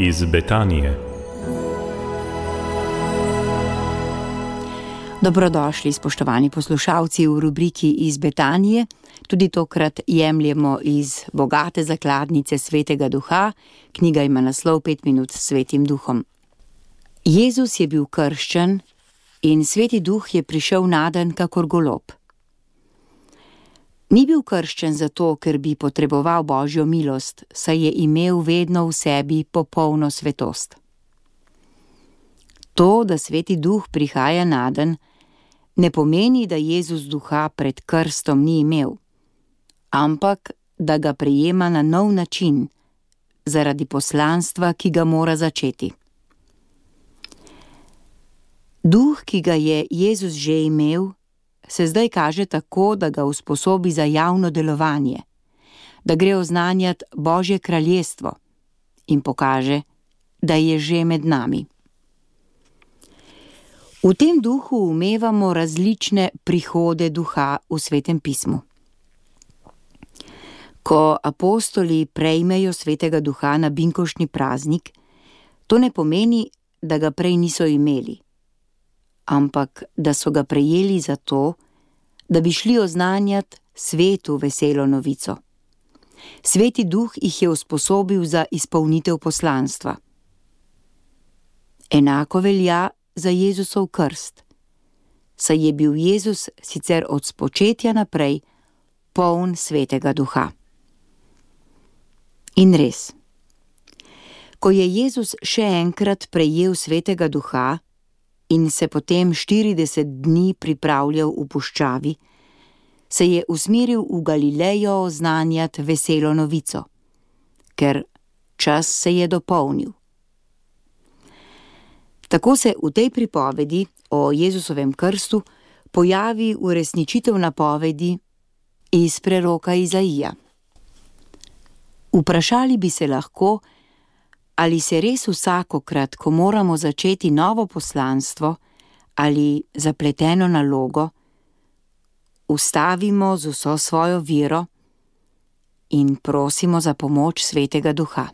iz Betanije. Dobrodošli, spoštovani poslušalci, v rubriki iz Betanije. Tudi tokrat jemljemo iz bogate zakladnice Svetega Duha. Knjiga ima naslov 5 minut s Svetim Duhom. Jezus je bil krščen in Sveti Duh je prišel naden kakor golob. Ni bil krščen zato, ker bi potreboval Božjo milost, saj je imel vedno v sebi popolno svetost. To, da Sveti Duh prihaja naden, ne pomeni, da Jezus duha pred krstom ni imel, ampak da ga prejema na nov način, zaradi poslanstva, ki ga mora začeti. Duh, ki ga je Jezus že imel, se zdaj kaže tako, da ga usposobi za javno delovanje, da gre oznanjati Božje kraljestvo in pokaže, da je že med nami. V tem duhu umevamo različne prihode duha v Svetem pismu. Ko apostoli prejmejo Svetega Duha na binkoštni praznik, to ne pomeni, da ga prej niso imeli, ampak da so ga prejeli zato, da bi šli oznanjati svetu veselo novico. Sveti Duh jih je usposobil za izpolnitev poslanstva. Enako velja za Jezusov krst, saj je bil Jezus sicer od spočetja naprej poln Svetega Duha. In res, ko je Jezus še enkrat prejel Svetega Duha in se potem 40 dni pripravljal v puščavi, se je usmeril v Galilejo oznanjati veselo novico, ker čas se je dopolnil. Tako se v tej pripovedi o Jezusovem krstu pojavi uresničitev napovedi iz preroka Izaija. Vprašali bi se lahko, ali se res vsakokrat, ko moramo začeti novo poslanstvo ali zapleteno nalogo, ustavimo z vso svojo vero in prosimo za pomoč Svetega Duha.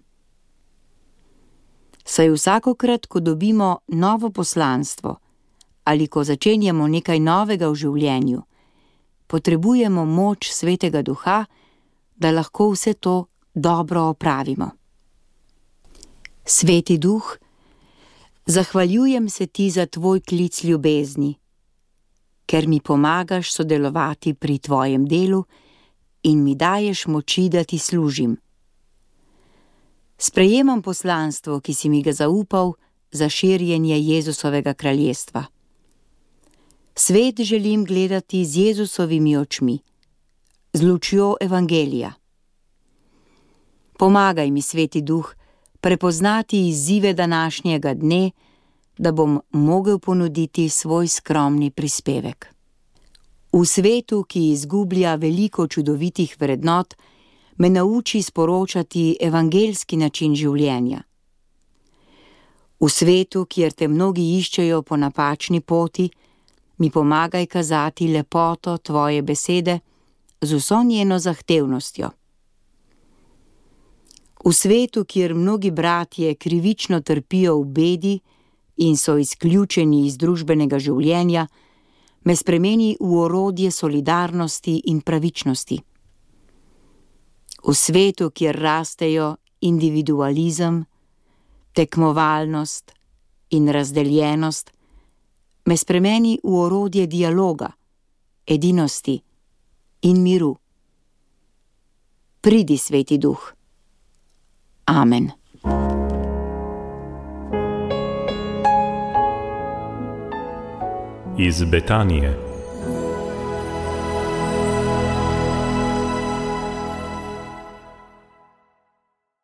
Saj vsakokrat, ko dobimo novo poslanstvo ali ko začenjamo nekaj novega v življenju, potrebujemo moč Svetega Duha, da lahko vse to dobro opravimo. Sveti Duh, zahvaljujem se ti za tvoj klic ljubezni, ker mi pomagaš sodelovati pri tvojem delu in mi daješ moči, da ti služim. Sprejemam poslanstvo, ki si mi ga zaupal za širjenje Jezusovega kraljestva. Svet želim gledati z Jezusovimi očmi, z lučjo evangelija. Pomagaj mi, Sveti Duh, prepoznati izzive današnjega dne, da bom mogel ponuditi svoj skromni prispevek. V svetu, ki izgublja veliko čudovitih vrednot, me nauči sporočati evangeljski način življenja. V svetu, kjer te mnogi iščejo po napačni poti, mi pomagaj kazati lepoto tvoje besede z vso njeno zahtevnostjo. V svetu, kjer mnogi bratje krivično trpijo v bedi in so izključeni iz družbenega življenja, me spremeni v orodje solidarnosti in pravičnosti. V svetu, kjer rastejo individualizem, tekmovalnost in razdeljenost, me spremeni v orodje dialoga, edinosti in miru. Pridi, Sveti Duh. Amen. Iz Betanije.